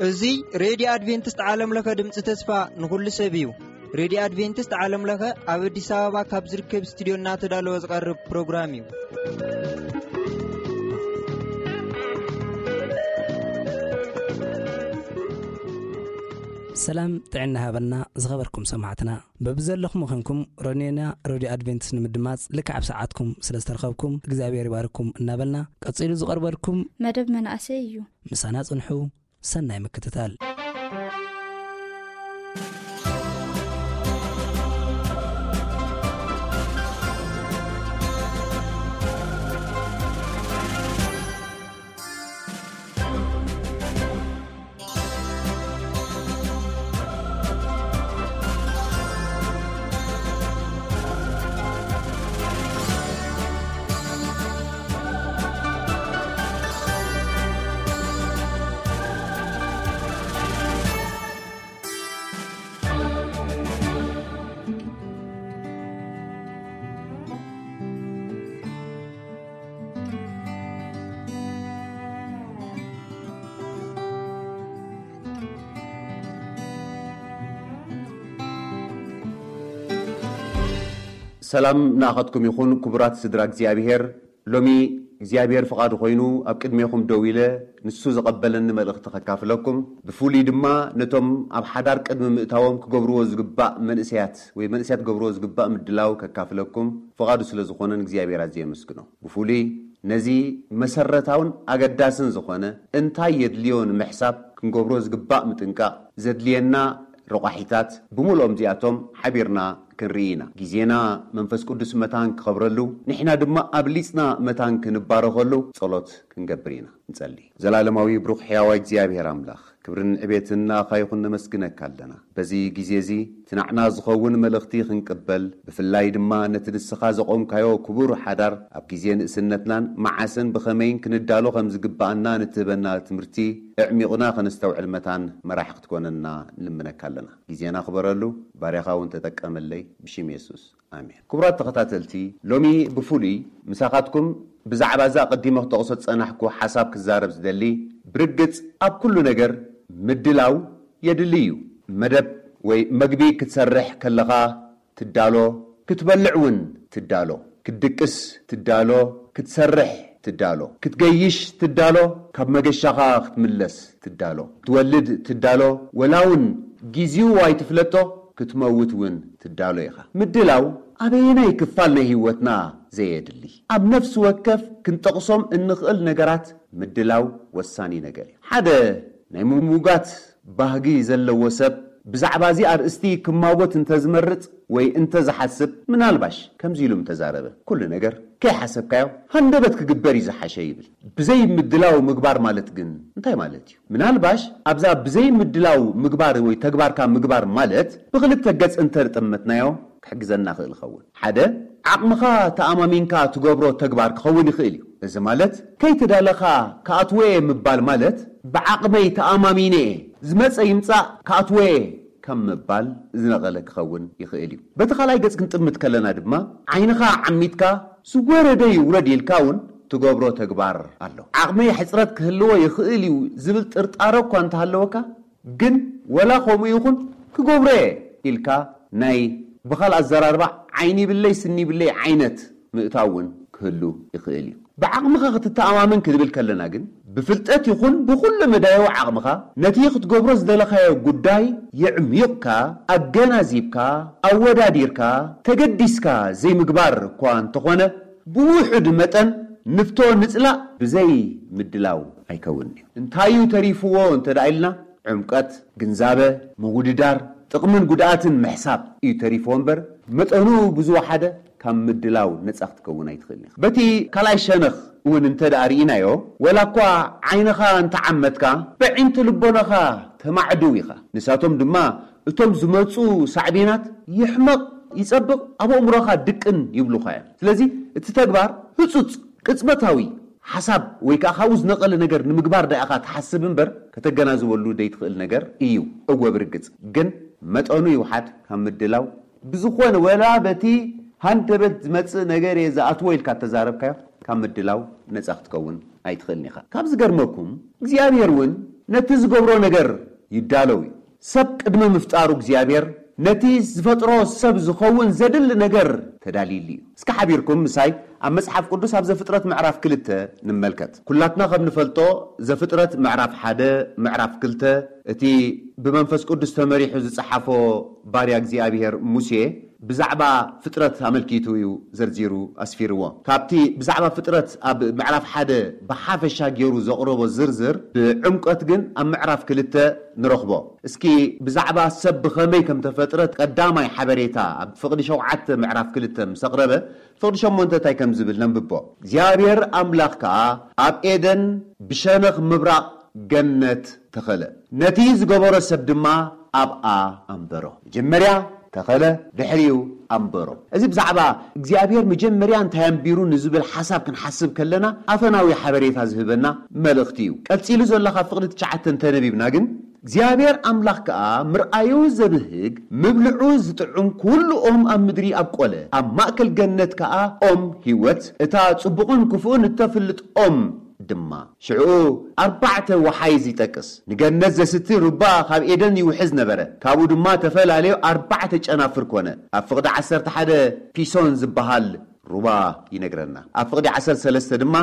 እዚ ሬድዮ ኣድቬንቲስት ዓለም ለኸ ድምፂ ተስፋ ንኹሉ ሰብ እዩ። ሬድዮ ኣድቬንቲስት ዓለም ለኸ ኣብ ኣዲስ ኣበባ ካብ ዝርከብ ስቱዲዮ እናተዳለወ ዝቐርብ ፕሮግራም እዩ። ሰላም ጥዕና ሃበልና ዝኸበርኩም ሰማዕትና። በብዘለኹም ኾንኩም ሮኔና ሬድዮ ኣድቬንቲስት ንምድማጽ ልክዕ ኣብ ሰዓትኩም ስለ ዝተረኸብኩም እግዚኣብሔር ይባርኩም እናበልና፣ ቀጺሉ ዝቐርበልኩም መደብ መናእሰይ እዩ። ምሳና ጽንሑ። ሰናይ ምክትታል። ሰላም ንኣኻትኩም ይኹን ክቡራት ስድራ እግዚኣብሔር። ሎሚ እግዚኣብሔር ፍቓዱ ኮይኑ ኣብ ቅድሜኹም ደው ኢለ ንሱ ዘቐበለኒ መልእኽቲ ከካፍለኩም፣ ብፍሉይ ድማ ነቶም ኣብ ሓዳር ቅድሚ ምእታዎም ክገብርዎ ዝግባእ መንእሰያት ወይ መንእሰያት ክገብርዎ ዝግባእ ምድላው ከካፍለኩም ፍቓዱ ስለ ዝኾነ ንእግዚኣብሔር ኣዝየ የመስግኖ። ብፍሉይ ነዚ መሰረታውን ኣገዳስን ዝኾነ እንታይ የድልዮ ንምሕሳብ ክንገብሮ ዝግባእ ምጥንቃቕ ዘድልየና ረቋሒታት ብምልኦም እዚኣቶም ሓቢርና ክንርኢ ኢና። ግዜና መንፈስ ቅዱስ መታን ክኸብረሉ፣ ንሕና ድማ ኣብሊጽና መታን ክንባረኸሉ ጸሎት ክንገብር ኢና። ንጸሊ። ዘላለማዊ ብሩኽ ሕያዋይ እግዚኣብሔር ኣምላኽ፣ ክብርን ዕቤትን ንኣኻ ይኹን፣ ነመስግነካ ኣለና። በዚ ግዜ እዚ እቲ ናዕና ዝኸውን መልእኽቲ ክንቅበል፣ ብፍላይ ድማ ነቲ ንስኻ ዘቖምካዮ ክቡር ሓዳር ኣብ ግዜ ንእስነትናን መዓስን ብኸመይን ክንዳሎ ከም ዝግብኣና ንትህበና ትምህርቲ ኣዕሚቑና ከነስተውዕል መታን መራሕ ክትኮነና ንልምነካ ኣለና። ግዜና ክበረሉ፣ ባርያኻ እውን ተጠቀመለይ፣ ብሽም የሱስ። ኣሜን። ክቡራት ተኸታተልቲ፣ ሎሚ ብፍሉይ ምሳኻትኩም ብዛዕባ እዛ ኣቐዲመ ክጠቕሶ ዝጸናሕኩ ሓሳብ ክዛረብ ዝደሊ፣ ብርግጽ ኣብ ኩሉ ነገር ምድላው የድሊ እዩ። መደብ ወይ መግቢ ክትሰርሕ ከለኻ ትዳሎ፣ ክትበልዕ እውን ትዳሎ፣ ክትድቅስ ትዳሎ፣ ክትሰርሕ ትዳሎ፣ ክትገይሽ ትዳሎ፣ ካብ መገሻኻ ክትምለስ ትዳሎ፣ ክትወልድ ትዳሎ፣ ወላ እውን ጊዜኡ ኣይትፍለጦ፣ ክትመውት እውን ትዳሎ ኢኻ። ምድላው ኣበየናይ ክፋል ናይ ህይወትና ዘየድሊ? ኣብ ነፍሲ ወከፍ ክንጠቕሶም እንኽእል ነገራት ምድላው ወሳኒ ነገር እዩ። ሓደ ናይ ምሙጋት ባህጊ ዘለዎ ሰብ ብዛዕባ እዚ ኣርእስቲ ክማጎት እንተዝመርጽ ወይ እንተዝሓስብ፣ ምናልባሽ ከምዚ ኢሉ ምተዛረበ፣ "ኩሉ ነገር ከይሓሰብካዮ ሃንደበት ክግበር እዩ ዝሓሸ" ይብል። ብዘይ ምድላው ምግባር ማለት ግን እንታይ ማለት እዩ? ምናልባሽ ኣብዛ ብዘይ ምድላው ምግባር ወይ ተግባርካ ምግባር ማለት ብኽልተ ገጽ እንተርጠመትናዮ ክሕግዘና ክእል ይኸውን። ሓደ፣ ዓቕምኻ ተኣማሚንካ ትገብሮ ተግባር ክኸውን ይኽእል እዩ። እዚ ማለት ከይተዳለኻ ክኣትወ እየ ምባል ማለት ብዓቕመይ ተኣማሚነ እየ፣ ዝመጸ ይምጻእ ክኣትወ እየ ከም ምባል ዝነቐለ ክኸውን ይኽእል እዩ። በቲ ካልኣይ ገጽ ክንጥምት ከለና ድማ ዓይንኻ ዓሚትካ ዝወረደ ይውረድ ኢልካ እውን ትገብሮ ተግባር ኣሎ። ዓቕመይ ሕጽረት ክህልዎ ይኽእል እዩ ዝብል ጥርጣረ እኳ እንተሃለወካ ግን ወላ ከምኡ ይኹን ክገብሮ እየ ኢልካ ናይ ብኻል ኣዘራርባ ዓይኒ ይብለይ ስኒ ይብለይ ዓይነት ምእታው እውን ክህሉ ይኽእል እዩ። ብዓቕምኻ ክትተኣማመን ክንብል ከለና ግን ብፍልጠት ይኹን ብኹሉ መዳያዊ ዓቕምኻ ነቲ ክትገብሮ ዝደለኻዮ ጉዳይ የዕሚቕካ፣ ኣገናዚብካ፣ ኣወዳዲርካ፣ ተገዲስካ ዘይምግባር እኳ እንተኾነ ብውሑድ መጠን ንፍቶ ንጽላእ ብዘይ ምድላው ኣይከውንን እዩ። እንታይ እዩ ተሪፍዎ እንተ ደኣ ኢልና ዕምቀት፣ ግንዛበ፣ ምውድዳር፣ ጥቕምን ጉድኣትን ምሕሳብ እዩ ተሪፍዎ እምበር መጠኑ ብዝወሓደ ካብ ምድላው ነጻ ክትከውን ኣይትኽእልን ኢኻ። በቲ ካልኣይ ሸነኽ እውን እንተ ደኣ ርኢናዮ፣ ወላ እኳ ዓይንኻ እንተዓመትካ፣ በዒንቲ ልቦናኻ ተማዕድው ኢኻ። ንሳቶም ድማ እቶም ዝመጹ ሳዕቤናት ይሕመቕ፣ ይጸብቕ፣ ኣብ ኣእምሮኻ ድቅን ይብሉኻ እዮም። ስለዚ እቲ ተግባር ህጹጽ፣ ቅጽበታዊ ሓሳብ ወይ ከኣ ካብኡ ዝነቐለ ነገር ንምግባር ደኣ ኢኻ ትሓስብ እምበር ከተገናዝበሉ ዘይትኽእል ነገር እዩ። እወ ብርግጽ ግን መጠኑ ይውሓድ ካብ ምድላው ብዝኾነ ወላ በቲ ሃንደበት ዝመጽእ ነገር እየ ዝኣትዎ ኢልካ ተዛረብካዮ፣ ካብ ምድላው ነጻ ክትከውን ኣይትኽእልን ኢኻ። ካብ ዝገርመኩም እግዚኣብሔር እውን ነቲ ዝገብሮ ነገር ይዳለው እዩ። ሰብ ቅድሚ ምፍጣሩ እግዚኣብሔር ነቲ ዝፈጥሮ ሰብ ዝኸውን ዘድሊ ነገር ተዳልይሉ እዩ። እስኪ ሓቢርኩም ምሳይ ኣብ መጽሓፍ ቅዱስ ኣብ ዘፍጥረት ምዕራፍ ክልተ ንመልከት። ኩላትና ከም ንፈልጦ ዘፍጥረት ምዕራፍ ሓደ፣ ምዕራፍ ክልተ እቲ ብመንፈስ ቅዱስ ተመሪሑ ዝጸሓፎ ባርያ እግዚኣብሔር ሙሴ ብዛዕባ ፍጥረት ኣመልኪቱ እዩ ዘርዚሩ ኣስፊርዎ። ካብቲ ብዛዕባ ፍጥረት ኣብ ምዕራፍ ሓደ ብሓፈሻ ገይሩ ዘቕረቦ ዝርዝር ብዕምቀት ግን ኣብ ምዕራፍ ክልተ ንረኽቦ። እስኪ ብዛዕባ ሰብ ብኸመይ ከም ተፈጥረ ቀዳማይ ሓበሬታ ኣብ ፍቕዲ ሸውዓተ ምዕራፍ ክልተ ምስ ኣቕረበ፣ ፍቕዲ ሸሞንተ እንታይ ከም ዝብል ነንብቦ። እግዚኣብሔር ኣምላኽ ከኣ ኣብ ኤደን ብሸነኽ ምብራቕ ገነት ተኸለ። ነቲ ዝገበሮ ሰብ ድማ ኣብኣ ኣንበሮ። መጀመርያ ተኸለ፣ ድሕሪኡ ኣንበሮ። እዚ ብዛዕባ እግዚኣብሔር መጀመርያ እንታይ ኣንቢሩ ንዝብል ሓሳብ ክንሓስብ ከለና ኣፈናዊ ሓበሬታ ዝህበና መልእኽቲ እዩ። ቀጺሉ ዘሎ ካብ ፍቕዲ ትሽዓተ እንተነቢብና ግን እግዚኣብሔር ኣምላኽ ከኣ ምርኣዩ ዘብህግ ምብልዑ ዝጥዑም ኩሉ ኦም ኣብ ምድሪ ኣብቆለ። ኣብ ማእከል ገነት ከኣ ኦም ህይወት፣ እታ ጽቡቕን ክፉእን እተፍልጥ ኦም ድማ። ሽዑ ኣርባዕተ ወሓይዝ ይጠቅስ። ንገነት ዘስቲ ሩባ ካብ ኤደን ይውሕዝ ነበረ። ካብኡ ድማ ተፈላለዩ ኣርባዕተ ጨናፍር ኮነ። ኣብ ፍቕዲ ዓሰርተ ሓደ ፒሶን ዝበሃል ሩባ ይነግረና። ኣብ ፍቕዲ ዓሰርተ ሰለስተ ድማ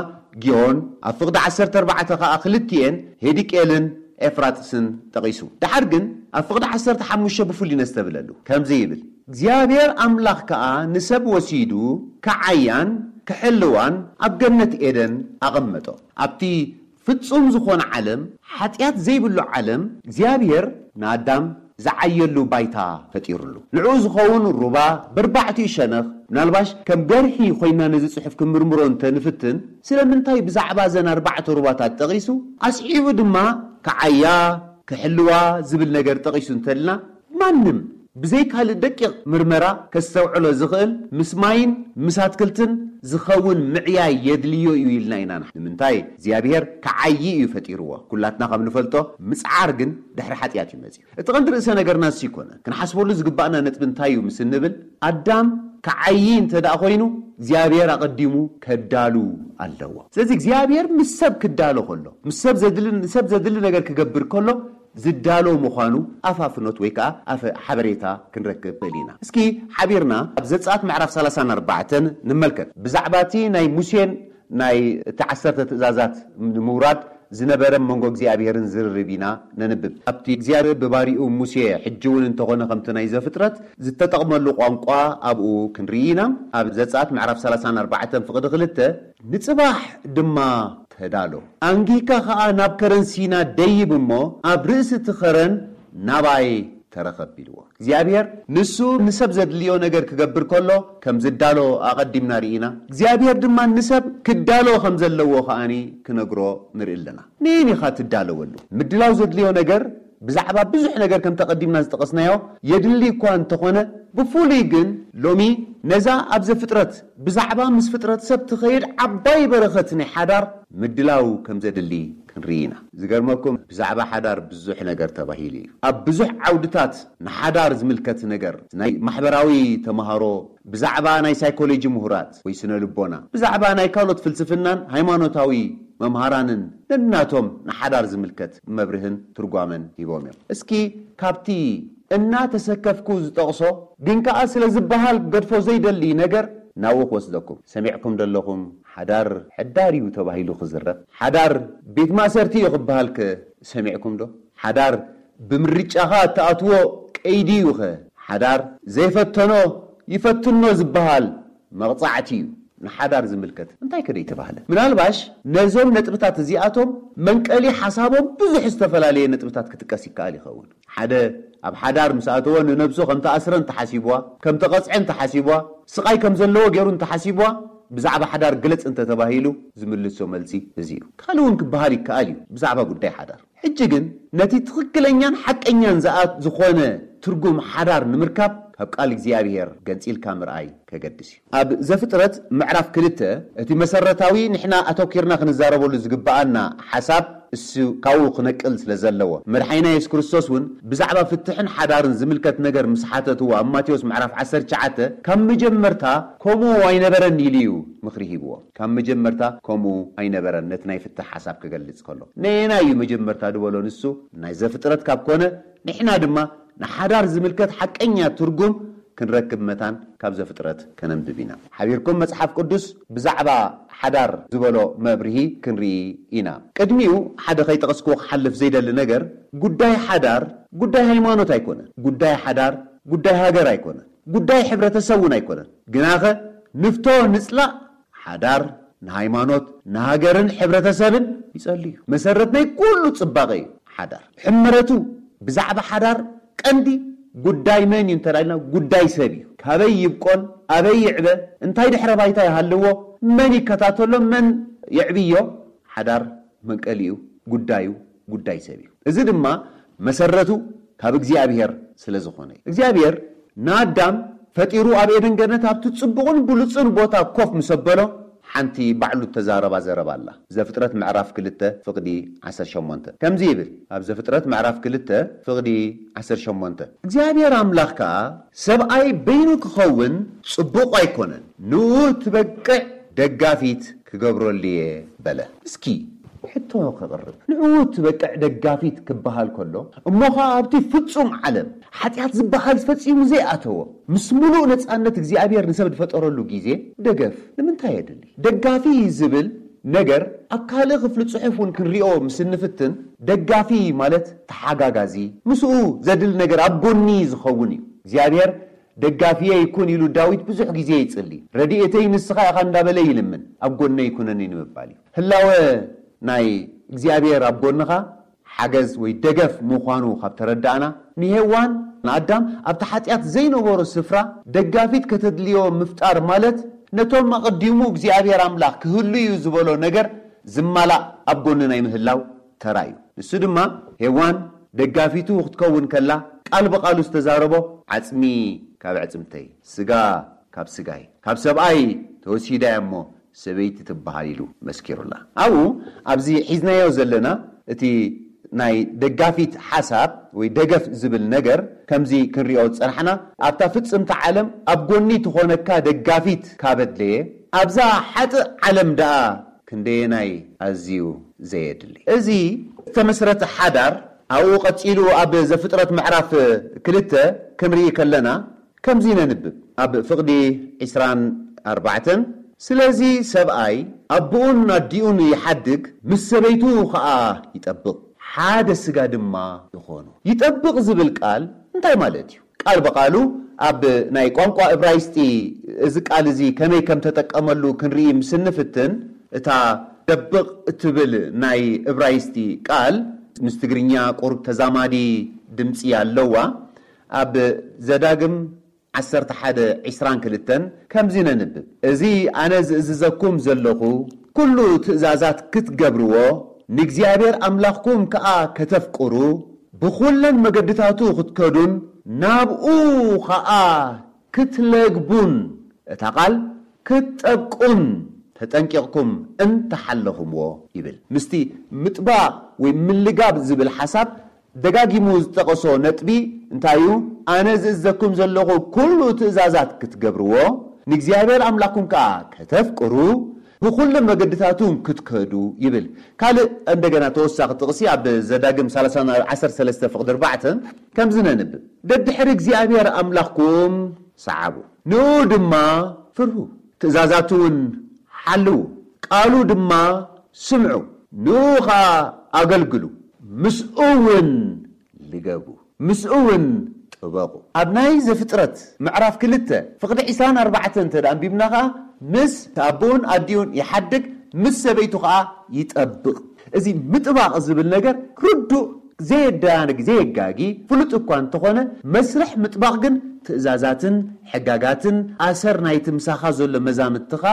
ጊዮን፣ ኣብ ፍቕዲ ዓሰርተ ኣርባዕተ ኸኣ ክልቲኤን ሄዲቄልን ኤፍራጥስን ጠቒሱ። ደሓር ግን ኣብ ፍቕዲ ዓሰርተ ሓሙሽተ ብፍሉይ ነስተብለሉ። ከምዚ ይብል፣ እግዚኣብሔር ኣምላኽ ከኣ ንሰብ ወሲዱ ክዓያን ክሕልዋን ኣብ ገነት ኤደን ኣቐመጦ። ኣብቲ ፍጹም ዝኾነ ዓለም፣ ሓጢኣት ዘይብሉ ዓለም፣ እግዚኣብሔር ንኣዳም ዝዓየሉ ባይታ ፈጢሩሉ። ንዕኡ ዝኸውን ሩባ በርባዕቲኡ ሸነኽ፣ ምናልባሽ ከም ገርሒ ኮይና ነዚ ጽሑፍ ክንምርምሮ እንተ ንፍትን፣ ስለምንታይ ብዛዕባ እዘን ኣርባዕተ ሩባታት ጠቒሱ? ኣስዒቡ ድማ ክዓያ፣ ክሕልዋ ዝብል ነገር ጠቒሱ እንተልና፣ ማንም ብዘይ ካልእ ደቂቕ ምርመራ ከስተውዕሎ ዝኽእል ምስ ማይን ምስ ኣትክልትን ዝኸውን ምዕያይ የድልዮ እዩ ኢልና ኢና ንሓ-፣ ንምንታይ? እግዚኣብሔር ክዓዪ እዩ ፈጢርዎ። ኩላትና ከም ንፈልጦ ምጽዓር ግን ድሕሪ ሓጢኣት እዩ መጺኡ። እቲ ቀንዲ ርእሰ ነገርና እሱ ይኮነ። ክንሓስበሉ ዝግባእና ነጥቢ እንታይ እዩ ምስ እንብል፣ ኣዳም ክዓዪ እንተ ደኣ ኮይኑ እግዚኣብሔር ኣቐዲሙ ከዳሉ ኣለዎ። ስለዚ እግዚኣብሔር ምስ ሰብ ክዳሎ ከሎ፣ ምስ ሰብ ዘድሊ፣ ንሰብ ዘድሊ ነገር ክገብር ከሎ ዝዳሎ ምዃኑ ኣፋፍኖት ወይ ከኣ ኣፈ-፣ ሓበሬታ ክንረክብ ንኽእል ኢና። እስኪ ሓቢርና ኣብ ዘጸኣት ምዕራፍ ሰላሳን ኣርባዕተን ንመልከት። ብዛዕባ እቲ ናይ ሙሴን ናይ እቲ ዓሰርተ ትእዛዛት ንምውራድ ዝነበረ መንጎ እግዚኣብሔርን ዝርርብ ኢና ነንብብ። ኣብቲ እግዚኣብሔር ብባሪኡ ሙሴ ሕጂ እውን እንተኾነ ከምቲ ናይ ዘፍጥረት ዝተጠቕመሉ ቋንቋ ኣብኡ ክንርኢ ኢና። ኣብ ዘጸኣት ምዕራፍ ሰላሳን ኣርባዕተን ፍቕዲ ክልተ፣ ንጽባሕ ድማ ተዳሎ፣ ኣንጊህካ ኸኣ ናብ ከረን ሲና ደይብ እሞ ኣብ ርእሲ እቲ ኸረን ናባይ ተረኸብ ኢልዎ። እግዚኣብሔር ንሱ ንሰብ ዘድልዮ ነገር ክገብር ከሎ ከም ዝዳሎ ኣቐዲምና ርኢና። እግዚኣብሔር ድማ ንሰብ ክዳሎ ከም ዘለዎ ከኣኒ ክነግሮ ንርኢ ኣለና። ንኢን ኢኻ ትዳለወሉ። ምድላው ዘድልዮ ነገር ብዛዕባ ብዙሕ ነገር ከም ተቐዲምና ዝጠቐስናዮ የድሊ እኳ እንተኾነ፣ ብፍሉይ ግን ሎሚ ነዛ ኣብ ዘፍጥረት ብዛዕባ ምስ ፍጥረት ሰብ ትኸይድ ዓባይ በረኸት ናይ ሓዳር ምድላው ከም ዘድሊ ክንርኢ ኢና። ዝገርመኩም ብዛዕባ ሓዳር ብዙሕ ነገር ተባሂሉ እዩ። ኣብ ብዙሕ ዓውድታት ንሓዳር ዝምልከት ነገር ናይ ማሕበራዊ ተማሃሮ፣ ብዛዕባ ናይ ሳይኮሎጂ ምሁራት ወይ ስነ ልቦና፣ ብዛዕባ ናይ ካልኦት ፍልስፍናን ሃይማኖታዊ መምሃራንን ነናቶም ንሓዳር ዝምልከት መብርህን ትርጓመን ሂቦም እዮም። እስኪ ካብቲ እናተሰከፍኩ ዝጠቕሶ ግን ከኣ ስለ ዝበሃል ገድፎ ዘይደሊ ነገር ናብኡ ክወስደኩም። ሰሚዕኩም ደለኹም ሓዳር ሕዳር እዩ ተባሂሉ ክዝረብ? ሓዳር ቤት ማእሰርቲ እዩ ክበሃል ከ ሰሚዕኩም ዶ? ሓዳር ብምርጫኻ እትኣትዎ ቀይዲ እዩ ኸ? ሓዳር ዘይፈተኖ ይፈትኖ ዝበሃል መቕጻዕቲ እዩ። ንሓዳር ዝምልከት እንታይ ከ ደይተባህለ? ምናልባሽ ነዞም ነጥብታት እዚኣቶም መንቀሊ ሓሳቦም ብዙሕ ዝተፈላለየ ነጥብታት ክጥቀስ ይከኣል ይኸውን። ሓደ ኣብ ሓዳር ምስ ኣተወ ንነብሱ ከም ተኣስረ እንተሓሲብዋ፣ ከም ተቐጽዐ እንተሓሲብዋ፣ ስቓይ ከም ዘለዎ ገይሩ እንተሓሲብዋ፣ ብዛዕባ ሓዳር ግለጽ እንተተባሂሉ ዝምልሶ መልሲ እዚ እዩ። ካልእ እውን ክበሃል ይከኣል እዩ ብዛዕባ ጉዳይ ሓዳር። ሕጂ ግን ነቲ ትኽክለኛን ሓቀኛን ዝኣ-፣ ዝኾነ ትርጉም ሓዳር ንምርካብ ካብ ቃል እግዚኣብሔር ገንጺልካ ምርኣይ ከገድስ እዩ። ኣብ ዘፍጥረት ምዕራፍ ክልተ እቲ መሰረታዊ ንሕና ኣተኪርና ክንዛረበሉ ዝግብኣና ሓሳብ እሱ ካብኡ ክነቅል ስለ ዘለዎ፣ መድሓኒና የሱስ ክርስቶስ እውን ብዛዕባ ፍትሕን ሓዳርን ዝምልከት ነገር ምስ ሓተትዎ ኣብ ማቴዎስ ምዕራፍ ዓሰርተ ትሽዓተ ካብ መጀመርታ ከምኡ ኣይነበረን ኢሉ እዩ ምኽሪ ሂብዎ። ካብ መጀመርታ ከምኡ ኣይነበረን፣ ነቲ ናይ ፍትሕ ሓሳብ ክገልጽ ከሎ ነየናይ እዩ መጀመርታ ዝበሎ ንሱ ናይ ዘፍጥረት ካብ ኮነ ንሕና ድማ ንሓዳር ዝምልከት ሓቀኛ ትርጉም ክንረክብ መታን ካብ ዘፍጥረት ከነንብብ ኢና። ሓቢርኩም መጽሓፍ ቅዱስ ብዛዕባ ሓዳር ዝበሎ መብርሂ ክንርኢ ኢና። ቅድሚኡ ሓደ ከይጠቐስክዎ ክሓልፍ ዘይደሊ ነገር፣ ጉዳይ ሓዳር ጉዳይ ሃይማኖት ኣይኮነን። ጉዳይ ሓዳር ጉዳይ ሃገር ኣይኮነን። ጉዳይ ሕብረተሰብ እውን ኣይኮነን። ግናኸ ንፍቶ ንጽላእ ሓዳር ንሃይማኖት ንሃገርን ሕብረተሰብን ይጸሉ እዩ። መሰረት ናይ ኩሉ ጽባቐ እዩ ሓዳር። ሕመረቱ ብዛዕባ ሓዳር ቀንዲ ጉዳይ መን እዩ እንተ ኢልና ጉዳይ ሰብ እዩ። ካበይ ይብቆል፣ ኣበይ ይዕበ፣ እንታይ ድሕረ ባይታ ይሃልዎ፣ መን ይከታተሎ፣ መን የዕብዮ፣ ሓዳር መንቀሊኡ ጉዳዩ ጉዳይ ሰብ እዩ። እዚ ድማ መሰረቱ ካብ እግዚኣብሔር ስለ ዝኾነ እዩ። እግዚኣብሔር ንኣዳም ፈጢሩ ኣብ ኤደን ገነት ኣብቲ ጽቡቕን ብሉጽን ቦታ ኮፍ ምስ ኣበሎ ሓንቲ ባዕሉ እተዛረባ ዘረባ ኣላ። ዘፍጥረት ምዕራፍ ክልተ ፍቕዲ ዓሰርተ ሸሞንተ ከምዚ ይብል። ኣብ ዘፍጥረት ምዕራፍ ክልተ ፍቕዲ ዓሰርተ ሸሞንተ እግዚኣብሔር ኣምላኽ ከኣ ሰብኣይ በይኑ ክኸውን ጽቡቕ ኣይኮነን፣ ንኡ ትበቅዕ ደጋፊት ክገብረሉ እየ በለ። እስኪ ሕቶ ክቕርብ። ንዕኡ ትበቅዕ ደጋፊት ክበሃል ከሎ እሞ ኸኣ ኣብቲ ፍጹም ዓለም ሓጢኣት ዝበሃል ፈጺሙ ዘይኣተዎ ምስ ምሉእ ነጻነት እግዚኣብሔር ንሰብ ዝፈጠረሉ ግዜ ደገፍ ንምንታይ የድሊ? ደጋፊ ዝብል ነገር ኣብ ካልእ ክፍሊ ጽሑፍ እውን ክንሪኦ ምስ እንፍትን ደጋፊ ማለት ተሓጋጋዚ፣ ምስኡ ዘድሊ ነገር ኣብ ጎኒ ዝኸውን እዩ። እግዚኣብሔር ደጋፊየ ይኩን ኢሉ ዳዊት ብዙሕ ግዜ ይጽሊ። ረድኤተይ ንስኻ ኢኻ እንዳበለ ይልምን፣ ኣብ ጎነይ ኩነኒ ንምባል እዩ። ህላወ ናይ እግዚኣብሔር ኣብ ጎንኻ ሓገዝ ወይ ደገፍ ምዃኑ ካብ ተረዳእና፣ ንሄዋን ንኣዳም ኣብቲ ሓጢኣት ዘይነበሮ ስፍራ ደጋፊት ከተድልዮ ምፍጣር ማለት ነቶም ኣቐዲሙ እግዚኣብሔር ኣምላኽ ክህሉ እዩ ዝበሎ ነገር ዝማላእ ኣብ ጎኒ ናይ ምህላው ተራ እዩ። ንሱ ድማ ሄዋን ደጋፊቱ ክትከውን ከላ ቃል ብቓሉ ዝተዛረቦ፣ ዓጽሚ ካብ ኣዕጽምተይ፣ ስጋ ካብ ስጋይ፣ ካብ ሰብኣይ ተወሲዳ እያ እሞ ሰበይቲ ትበሃል ኢሉ መስኪሩላ። ኣብኡ ኣብዚ ሒዝናዮ ዘለና እቲ ናይ ደጋፊት ሓሳብ ወይ ደገፍ ዝብል ነገር ከምዚ ክንሪኦ ዝጸናሕና፣ ኣብታ ፍጽምቲ ዓለም ኣብ ጎኒ ትኾነካ ደጋፊት ካብ ኣድለየ፣ ኣብዛ ሓጥእ ዓለም ደኣ ክንደየናይ ኣዝዩ ዘየድሊ። እዚ ዝተመስረተ ሓዳር ኣብኡ ቀጺሉ ኣብ ዘፍጥረት ምዕራፍ ክልተ ክንርኢ ከለና ከምዚ ነንብብ። ኣብ ፍቕዲ ዕስራን ኣርባዕተን ስለዚ ሰብኣይ ኣቦኡን ኣዲኡን ይሓድግ፣ ምስ ሰበይቱ ኸኣ ይጠብቕ፣ ሓደ ስጋ ድማ ይኾኑ። ይጠብቕ ዝብል ቃል እንታይ ማለት እዩ? ቃል ብቓሉ ኣብ ናይ ቋንቋ እብራይስጢ እዚ ቃል እዚ ከመይ ከም ተጠቀመሉ ክንርኢ ምስ እንፍትን፣ እታ ደብቕ እትብል ናይ እብራይስጢ ቃል ምስ ትግርኛ ቁሩብ ተዛማዲ ድምጺ ኣለዋ። ኣብ ዘዳግም ዓሰርተ ሓደ ዕስራን ክልተን ከምዚ ነንብብ፣ እዚ ኣነ ዝእዝዘኩም ዘለኹ ኩሉ ትእዛዛት ክትገብርዎ፣ ንእግዚኣብሔር ኣምላኽኩም ከኣ ከተፍቅሩ፣ ብኹለን መገድታቱ ክትከዱን ናብኡ ኸኣ ክትለግቡን፣ እታ ቃል ክትጠብቁን ተጠንቂቕኩም እንተሓለኹምዎ ይብል። ምስቲ ምጥባቕ ወይ ምልጋብ ዝብል ሓሳብ ደጋጊሙ ዝጠቐሶ ነጥቢ እንታይ እዩ? ኣነ ዝእዘኩም ዘለኹ ኩሉ ትእዛዛት ክትገብርዎ፣ ንእግዚኣብሔር ኣምላኽኩም ከኣ ከተፍቅሩ፣ ብኹሉ መገድታቱን ክትከዱ ይብል። ካልእ እንደገና ተወሳኺ ጥቕሲ ኣብ ዘዳግም ሰላሳ ዓሰርተ ሰለስተ ፍቕዲ ኣርባዕተ ከምዚ ነንብብ፣ ደድሕሪ እግዚኣብሔር ኣምላኽኩም ሰዓቡ፣ ንኡ ድማ ፍርሁ፣ ትእዛዛቱ እውን ሓልዉ፣ ቃሉ ድማ ስምዑ፣ ንኡ ኸኣ ኣገልግሉ፣ ምስኡ እውን ልገቡ፣ ምስኡ እውን ጥበቑ። ኣብ ናይ ዘፍጥረት ምዕራፍ ክልተ ፍቕዲ ዕስራን ኣርባዕተን እንተ ደኣ ኣንቢብና ኸኣ፣ ምስ ኣቦኡን ኣዲኡን ይሓድግ፣ ምስ ሰበይቱ ኸኣ ይጠብቕ። እዚ ምጥባቕ ዝብል ነገር ርዱእ፣ ዘየደናግር፣ ዘየጋጊ፣ ፍሉጥ እኳ እንተኾነ፣ መስርሕ ምጥባቕ ግን ትእዛዛትን ሕጋጋትን ኣሰር ናይቲ ምሳኻ ዘሎ መዛምድትኻ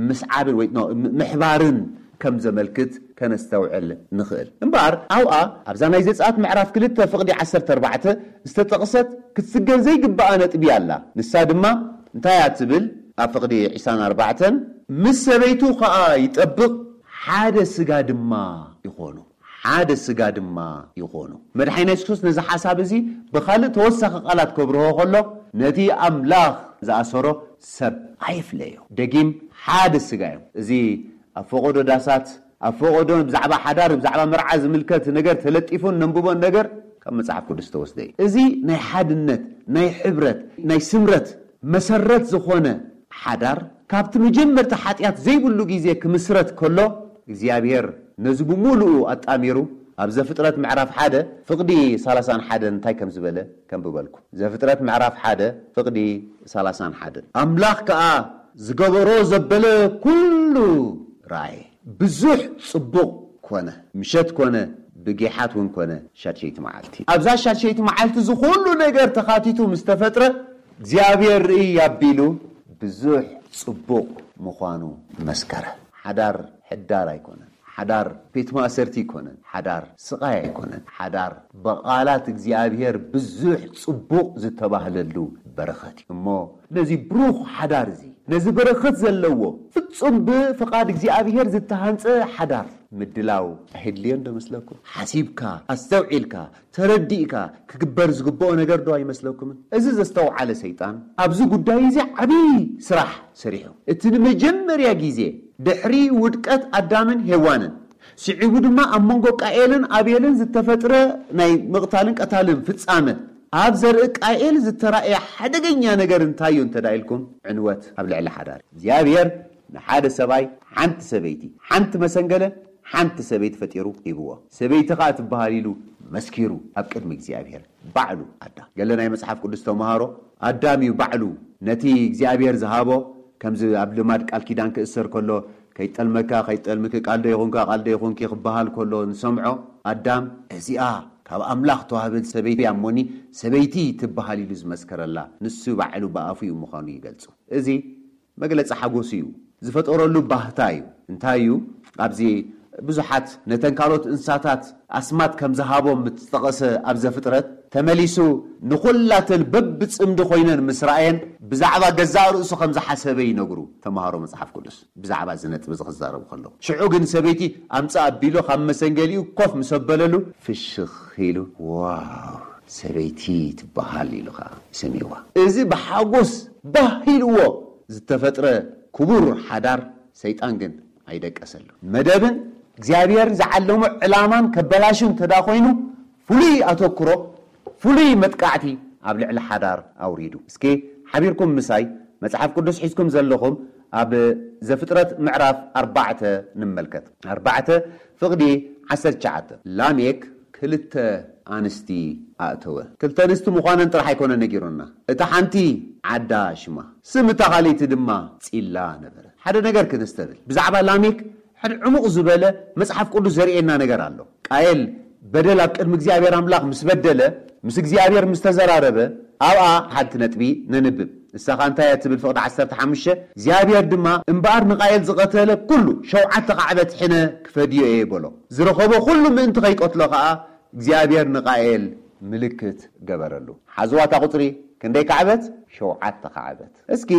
ምስዓብን ወይ ኖ፣ ም-፣ ምሕባርን ከም ዘመልክት ከነስተውዕል ንኽእል። እምበኣር ኣብኣ ኣብዛ ናይ ዘጸኣት ምዕራፍ ክልተ ፍቕዲ ዓሰርተ ኣርባዕተ ዝተጠቕሰት ክትስገር ዘይግብኣ ነጥቢ ኣላ። ንሳ ድማ እንታይ እያ ትብል? ኣብ ፍቕዲ ዕስራን ኣርባዕተን፣ ምስ ሰበይቱ ኸኣ ይጠብቕ፣ ሓደ ስጋ ድማ ይኾኑ። ሓደ ስጋ ድማ ይኾኑ። መድሓኒና የሱስ ክርስቶስ ነዚ ሓሳብ እዚ ብኻልእ ተወሳኺ ቃላት ከብርሆ ከሎ፣ ነቲ ኣምላኽ ዝኣሰሮ ሰብ ኣይፍለዮ። ደጊም ሓደ ስጋ እዮም። እዚ ኣብ ፈቐዶ ዳሳት፣ ኣብ ፈቐዶ ብዛዕባ ሓዳር፣ ብዛዕባ መርዓ ዝምልከት ነገር ተለጢፉን ነንብቦን ነገር ካብ መጽሓፍ ቅዱስ ዝተወስደ እዩ። እዚ ናይ ሓድነት፣ ናይ ሕብረት፣ ናይ ስምረት መሰረት ዝኾነ ሓዳር ካብቲ መጀመርታ ሓጢኣት ዘይብሉ ግዜ ክምስረት ከሎ እግዚኣብሔር ነዚ ብምሉኡ ኣጣሚሩ ኣብ ዘፍጥረት ምዕራፍ ሓደ ፍቕዲ ሰላሳን ሓደን እንታይ ከም ዝበለ ከንብበልኩ። ዘፍጥረት ምዕራፍ ሓደ ፍቕዲ ሰላሳን ሓደን። ኣምላኽ ከኣ ዝገበሮ ዘበለ ኩሉ ረኣየ። ብዙሕ ጽቡቕ ኮነ። ምሸት ኮነ፣ ብጊሓት እውን ኮነ፣ ሻድሸይቲ መዓልቲ። ኣብዛ ሻድሸይቲ መዓልቲ እዚ ኩሉ ነገር ተኻቲቱ ምስ ተፈጥረ እግዚኣብሔር ርእይ ኣቢሉ ብዙሕ ጽቡቕ ምዃኑ መስከረ። ሓዳር ሕዳር ኣይኮነን። ሓዳር ቤት ማእሰርቲ ኣይኮነን። ሓዳር ስቓይ ኣይኮነን። ሓዳር ብቓላት እግዚኣብሔር ብዙሕ ጽቡቕ ዝተባህለሉ በረኸት እዩ። እሞ ነዚ ብሩኽ ሓዳር እዚ፣ ነዚ በረኸት ዘለዎ ፍጹም ብፍቓድ እግዚኣብሔር ዝተሃንጸ ሓዳር ምድላው ኣየድልዮን ዶ መስለኩም? ሓሲብካ፣ ኣስተውዒልካ፣ ተረዲእካ ክግበር ዝግብኦ ነገር ዶ ኣይመስለኩምን? እዚ ዘስተውዓለ ሰይጣን ኣብዚ ጉዳይ እዚ ዓብዪ ስራሕ ሰሪሑ። እቲ ንመጀመርያ ግዜ ድሕሪ ውድቀት ኣዳምን ሄዋንን፣ ስዒቡ ድማ ኣብ መንጎ ቃኤልን ኣቤልን ዝተፈጥረ ናይ ምቕታልን ቀታልን ፍጻመ፣ ኣብ ዘርኢ ቃኤል ዝተራእየ ሓደገኛ ነገር እንታይ እዩ እንተ ደኣ ኢልኩም፣ ዕንወት ኣብ ልዕሊ ሓዳር። እግዚኣብሔር ንሓደ ሰብኣይ ሓንቲ ሰበይቲ፣ ሓንቲ መሰንገለ፣ ሓንቲ ሰበይቲ ፈጢሩ ሂብዎ። ሰበይቲ ኸኣ ትበሃል ኢሉ መስኪሩ ኣብ ቅድሚ እግዚኣብሔር ባዕሉ ኣዳም። ገለ ናይ መጽሓፍ ቅዱስ ተምሃሮ ኣዳም እዩ ባዕሉ ነቲ እግዚኣብሔር ዝሃቦ፣ ከምዚ ኣብ ልማድ ቃል ኪዳን ክእሰር ከሎ ከይጠልመካ ከይጠልምኪ ቃል ዶ ይኹንካ ቃል ዶ ይኹንኪ ክበሃል ከሎ ንሰምዖ። ኣዳም እዚኣ ካብ ኣምላኽ ተዋህበን ሰበይቲ እያ እሞኒ ሰበይቲ ትበሃል ኢሉ ዝመስከረላ ንሱ ባዕሉ ብኣፉ እዩ ምዃኑ ይገልጹ። እዚ መግለጺ ሓጎሱ እዩ፣ ዝፈጠረሉ ባህታ እዩ። እንታይ እዩ? ኣብዚ ብዙሓት ነተን ካልኦት እንስሳታት ኣስማት ከም ዝሃቦም ምስ ጠቐሰ ኣብ ዘፍጥረት፣ ተመሊሱ ንኹላተን በብጽምዲ ኮይነን ምስ ረኣየን ብዛዕባ ገዛእ ርእሱ ከም ዝሓሰበ ይነግሩ ተምሃሮ መጽሓፍ ቅዱስ። ብዛዕባ እዚ ነጥቢ እዚ ክዛረቡ ከለዉ፣ ሽዑ ግን ሰበይቲ ኣምጽእ ኣቢሉ ካብ መሰንገሊኡ ኮፍ ምስ ኣበለሉ ፍሽኽ ኢሉ፣ ዋው፣ ሰበይቲ ትበሃል ኢሉ ኸዓ ሰሚዕዋ። እዚ ብሓጎስ ባህ ኢልዎ ዝተፈጥረ ክቡር ሓዳር ሰይጣን ግን ኣይደቀሰሉ። መደብን እግዚኣብሔር ዝዓለሞ ዕላማን ከበላሹ እንተ ደኣ ኮይኑ፣ ፍሉይ ኣተኩሮ፣ ፍሉይ መጥቃዕቲ ኣብ ልዕሊ ሓዳር ኣውሪዱ። እስኪ ሓቢርኩም ምሳይ መጽሓፍ ቅዱስ ሒዝኩም ዘለኹም ኣብ ዘፍጥረት ምዕራፍ ኣርባዕተ ንመልከት። ኣርባዕተ ፍቕዲ ዓሰርተ ትሽዓተ። ላሜክ ክልተ ኣንስቲ ኣእተወ። ክልተ ኣንስቲ ምዃነን ጥራሕ ኣይኮነ ነጊሩና። እታ ሓንቲ ዓዳ ሽማ፣ ስም እታ ካልኣይቲ ድማ ጺላ ነበረ። ሓደ ነገር ክነስተብል። ብዛዕባ ላሜክ ሓደ ዕሙቕ ዝበለ መጽሓፍ ቅዱስ ዘርእየና ነገር ኣሎ። ቃየል በደል ኣብ ቅድሚ እግዚኣብሔር ኣምላኽ ምስ በደለ፣ ምስ እግዚኣብሔር ምስ ተዘራረበ፣ ኣብኣ ሓንቲ ነጥቢ ነንብብ። ንሳ ኸኣ እንታይ እያ ትብል? ፍቕዲ ዓሰርተ ሓሙሽተ፣ እግዚኣብሔር ድማ፣ "እምበኣር ንቃየል ዝቐተለ ኩሉ ሸውዓተ ካዕበት ሕነ ክፈድዮ እየ" በሎ። ዝረኸቦ ኩሉ ምእንቲ ኸይቀትሎ ኸኣ እግዚኣብሔር ንቃየል ምልክት ገበረሉ። ሓዝዋ እታ ቁጽሪ ክንደይ ካዕበት? ሸውዓተ ካዕበት። እስኪ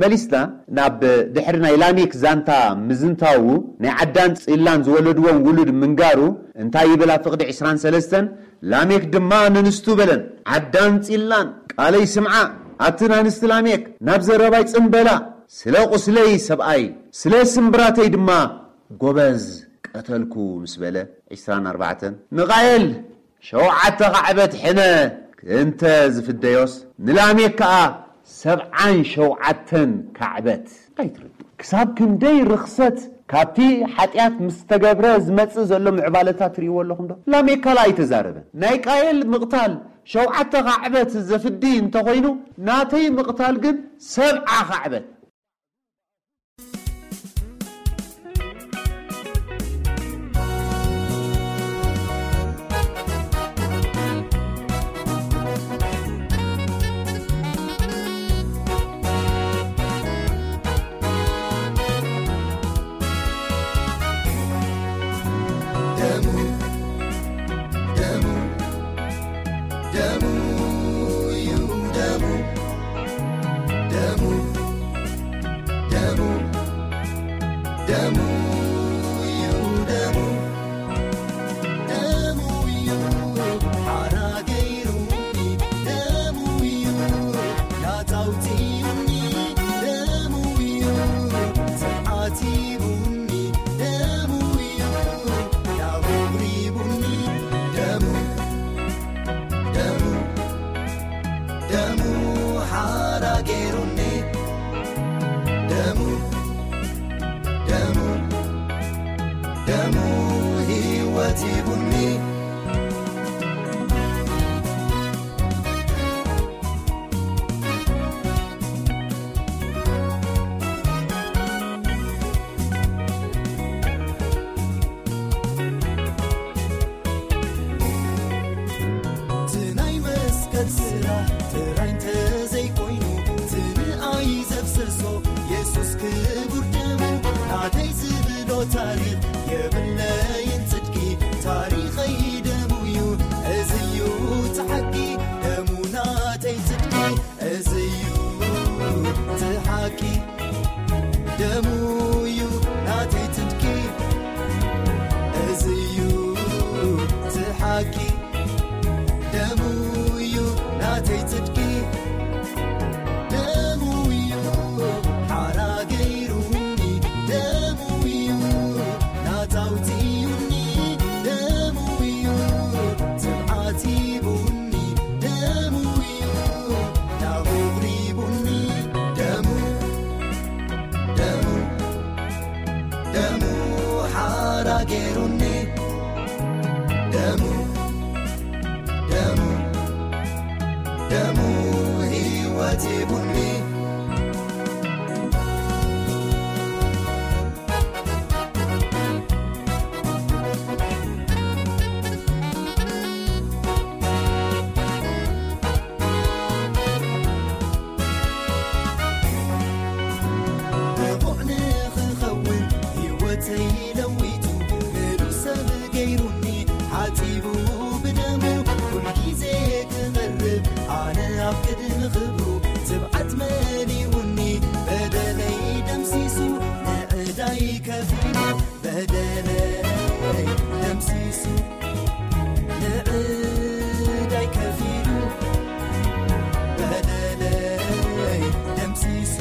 መሊስና ናብ ድሕሪ ናይ ላሜክ ዛንታ ምዝንታዉ፣ ናይ ዓዳን ጺላን ዝወለድዎም ውሉድ ምንጋሩ እንታይ ይብል? ኣብ ፍቕዲ ዕስራን ሰለስተን፣ ላሜክ ድማ ነንስቱ በለን፣ "ዓዳን ጺላን ቃለይ ስምዓ፣ ኣትን ኣንስቲ ላሜክ ናብ ዘረባይ ጽን በላ፣ ስለ ቁስለይ ሰብኣይ፣ ስለ ስምብራተይ ድማ ጎበዝ ቀተልኩ" ምስ በለ፣ ዕስራን ኣርባዕተን፣ ንቃየል ሸውዓተ ካዕበት ሕነ እንተ ዝፍደዮስ፣ ንላሜክ ከኣ ሰብዓን ሸውዓተን ካዕበት። ኣይትርዱ። ክሳብ ክንደይ ርኽሰት ካብቲ ሓጢኣት ምስ ተገብረ ዝመጽእ ዘሎ ምዕባለታት ትርእይዎ ኣለኹም ዶ? ላሜክ ካልእ ኣይተዛረበን። ናይ ቃየል ምቕታል ሸውዓተ ካዕበት ዘፍዲ እንተኾይኑ፣ ናተይ ምቕታል ግን ሰብዓ ካዕበት። ደሙ እዩ ደሙ፣ ደሙ እዩ ሓራ ገይሩኒ፣ ደሙ እዩ ናጻውቲዩኒ፣ ደሙ እዩ ጽንዓት ሂቡኒ፣ ደሙ እዩ ናብሪቡኒ፣ ደሙ፣ ደሙ፣ ደሙ ሓራ ገይሩኒ፣ ደሙ፣ ደሙ፣ ደሙ ህይወት ሂቡኒ። እቲ ናይ መስቀል ስራሕ ጥራይ እንተዘይኮይኑ፣ እቲ ንኣይ ዘፍሰሶ የሱስ ክቡር ደሙ፣ ናተይ ዝብሎ ታሪኽ የብለይን ጽድቂ፣ ታሪኸይ ደሙ እዩ፣ እዚ እዩ እቲ ሓቂ፣ ደሙ ናተይ ጽድቂ፣ እዚ እዩ እቲ ሓቂ፣ ደሙ እዩ ናተይ ጽድቂ፣ እዚ እዩ እቲ ሓቂ፣ ደሙ እዩ ናተይ ጽድቂ፣ ደሙ እዩ ሓራ ገይሩኒ፣ ደሙ እዩ ናጻውቲዩኒ፣ ደሙ እዩ ትብዓት ሂቡኒ፣ ደሙ እዩ ናብቕሪቡኒ፣ ደሙ፣ ደሙ፣ ደሙ ሓራ ገይሩኒ፣ ደሙ፣ ደሙ፣ ደሙ ህይወት ሂቡኒ። ብቑዕ ንኽኸውን ህይወተይ ለዊጡ፣ ምሉእ ሰብ ገይሩኒ፣ ሓጺቡ ብደሙ፣ ኩሉ ግዜ ክቐርብ ኣነ ኣብ ቅድሚ ክብሩ፣ ትብዓት መሊኡኒ፣ በደለይ ደምሲሱ፣ ንዕዳይ ከፊሉ፣ በደለይ ደምሲሱ፣ ንዕዳይ ከፊሉ፣ በደለይ ደምሲሱ፣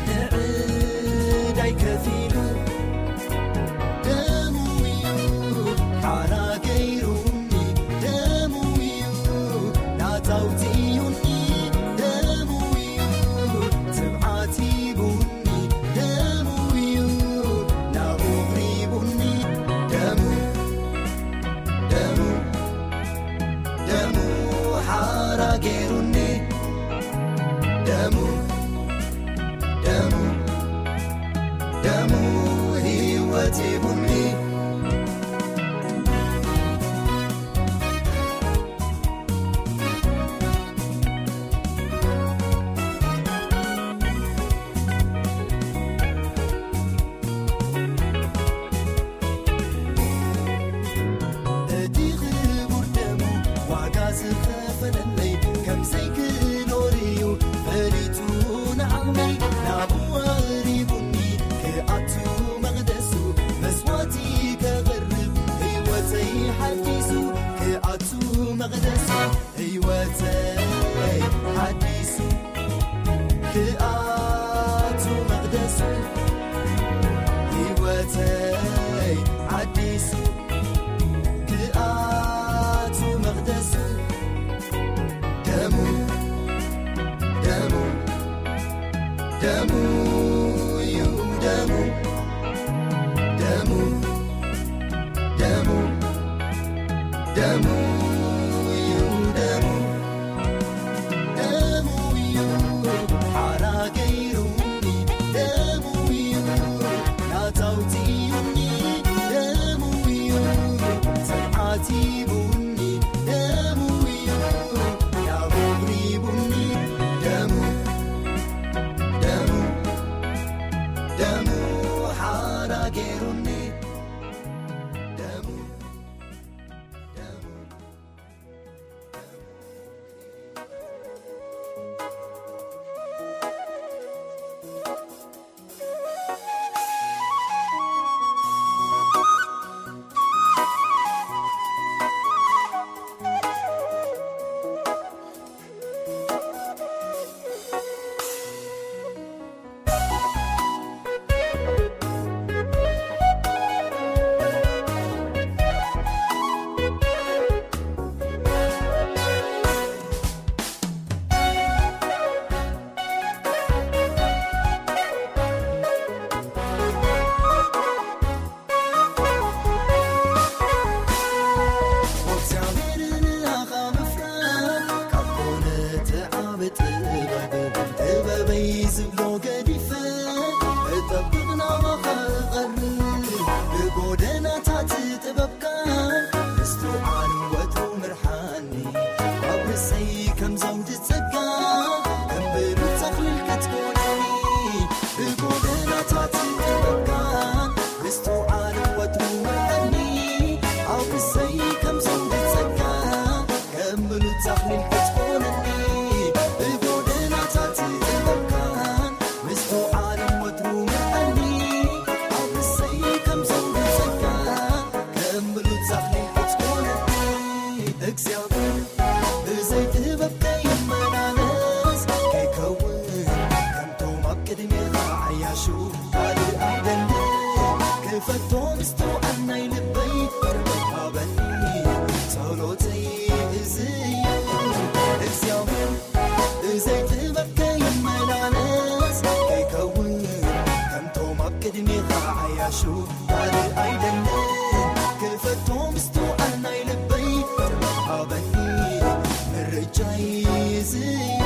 ንዕዳይ ከፊሉ፣ ደሙ እዩ ሓራ ገይሩኒ፣ ደሙ እዩ ናጻውቲዩኒ፣ ደሙ እዩ ትብዓት ሂቡኒ፣ ደሙ እዩ ናብቕሪቡኒ፣ ደሙ፣ ደሙ፣ ደሙ ሓራ ገይሩኒ፣ ደሙ፣ ደሙ፣ ደሙ ህይወት ሂቡኒ። እቲ ክቡር ደሙ ዋጋ ዝኸፈለለይ፣ ከም ዘይክኖር እዩ ፈሊጡ ንዓቕመይ። ናብኡ ኣቕሪቡኒ ክኣቱ መቕደሱ፣ መስዋዕቲ ከቕርብ ህይወተይ ሓዲሱ። ክኣቱ መቕደሱ፣ ህይወተይ ሓዲሱ ክኣቱ መቕደሱ፣ ህይወተይ ሓዲሱ ክኣቱ መቕደሱ፣ ደሙ፣ ደሙ፣ ደሙ እዩ ደሙ፣ ደሙ፣ ደሙ፣ ደሙ እዩ ደሙ፣ ደሙ እዩ ሓራ ገይሩኒ፣ ደሙ እዩ ናጻውቲዩኒ፣ ደሙ እዩ ጽንዓት ሂቡኒ፣ ደሙ እዩ ያቦሪቡኒ፣ ደሙ፣ ደሙ፣ ዝብሎ ገዲፈ እጠብቕ ናባኻ እቐርብ። ብጎደናታት ጥበብካ ምስትውዓል ወትሩ ምርሓኒ። ኣብ ርእሰይ ከም ዘውዲ ጸጋ ከም ብሉጽ ኣኽሊል ክትኮነኒ። ብጎደናታት ጥበብካ ምስትውዓል ወትሩ ምርሓኒ። ኣብ ርእሰይ ከም ዘውዲ ጸጋ ከም ብሉጽ ኣኽሊል ክትኮነኒ። ብጎደናታት ጥበብካን ምስትውዓልን ወትሩ ምርኣኒ። ኣብ ርእሰይ ከም ዘውዲ ጸጋ ከም ብሉጽ ኣኽሊል ክትኮነኒ። እግዚኣብሔር ብዘይ ጥበብ ከይመላለስ ከይከውን ከምቶም ኣብ ቅድሜኻ ዓያሹ ካልእ ኣይደልን። ክፈቶ ምስትውዓል ናይ ልበይ ጥበብ ሃበኒ። ጸሎተይ እዚ እዩ። እግዚኣብሔር ብዘይ ጥበብ ከይመላለስ ከይከውን ከምቶም ኣብ ቅድሜኻ ዓያሹ ካልእ ኣይደልን። ክፈቶ ምስትውዓል ናይ ልበይ ጥበብ ሃበኒ። ምርጫይ እዚ እዩ።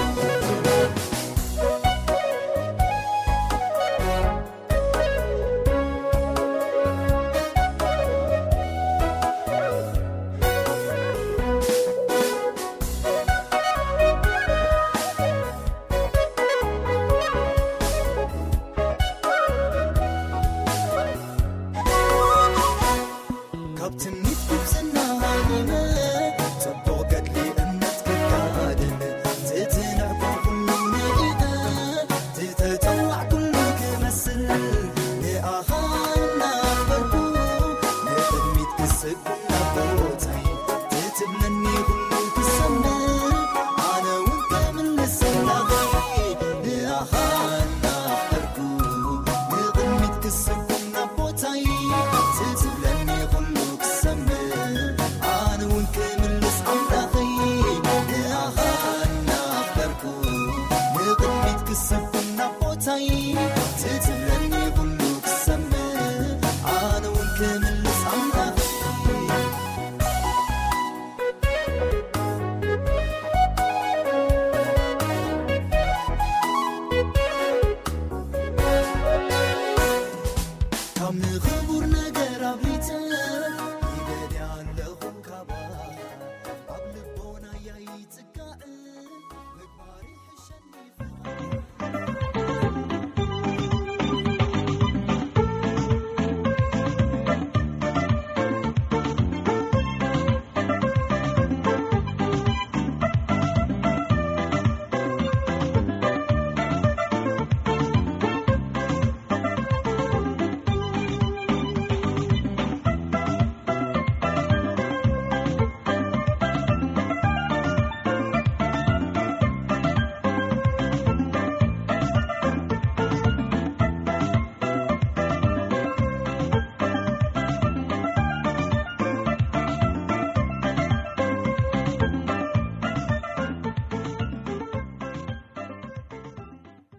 ካብ ትምኒት ጉብዝና ሃዲመ፣ ጽቡቕ ገድሊ እምነት ክጋደል፣ ትትንዕቆ ኩሉ ንኢቐ፣ ትተጸዋዕ ኩሉ ክመስል፣ ንኣኻ እናኽበርኩ፣ ንቕድሚት ክስጉም ናብ ቦታይ፣ ትትብለኒ ኩሉ ክሰምዕ፣ ኣነ እውን ክምልስ ኣምላኸይ፣ ንኣኻ እናኽበርኩ፣ ንቕድሚት ክስጉም ናብ ቦታይ፣ ትትብለኒ ኩሉ ክሰምዕ፣ ኣነ እውን ክምልስ ኣምላኸይ፣ ንኣኻ እናኽበርኩ፣ ንቕድሚት ክስጉም ናብ ቦታይ፣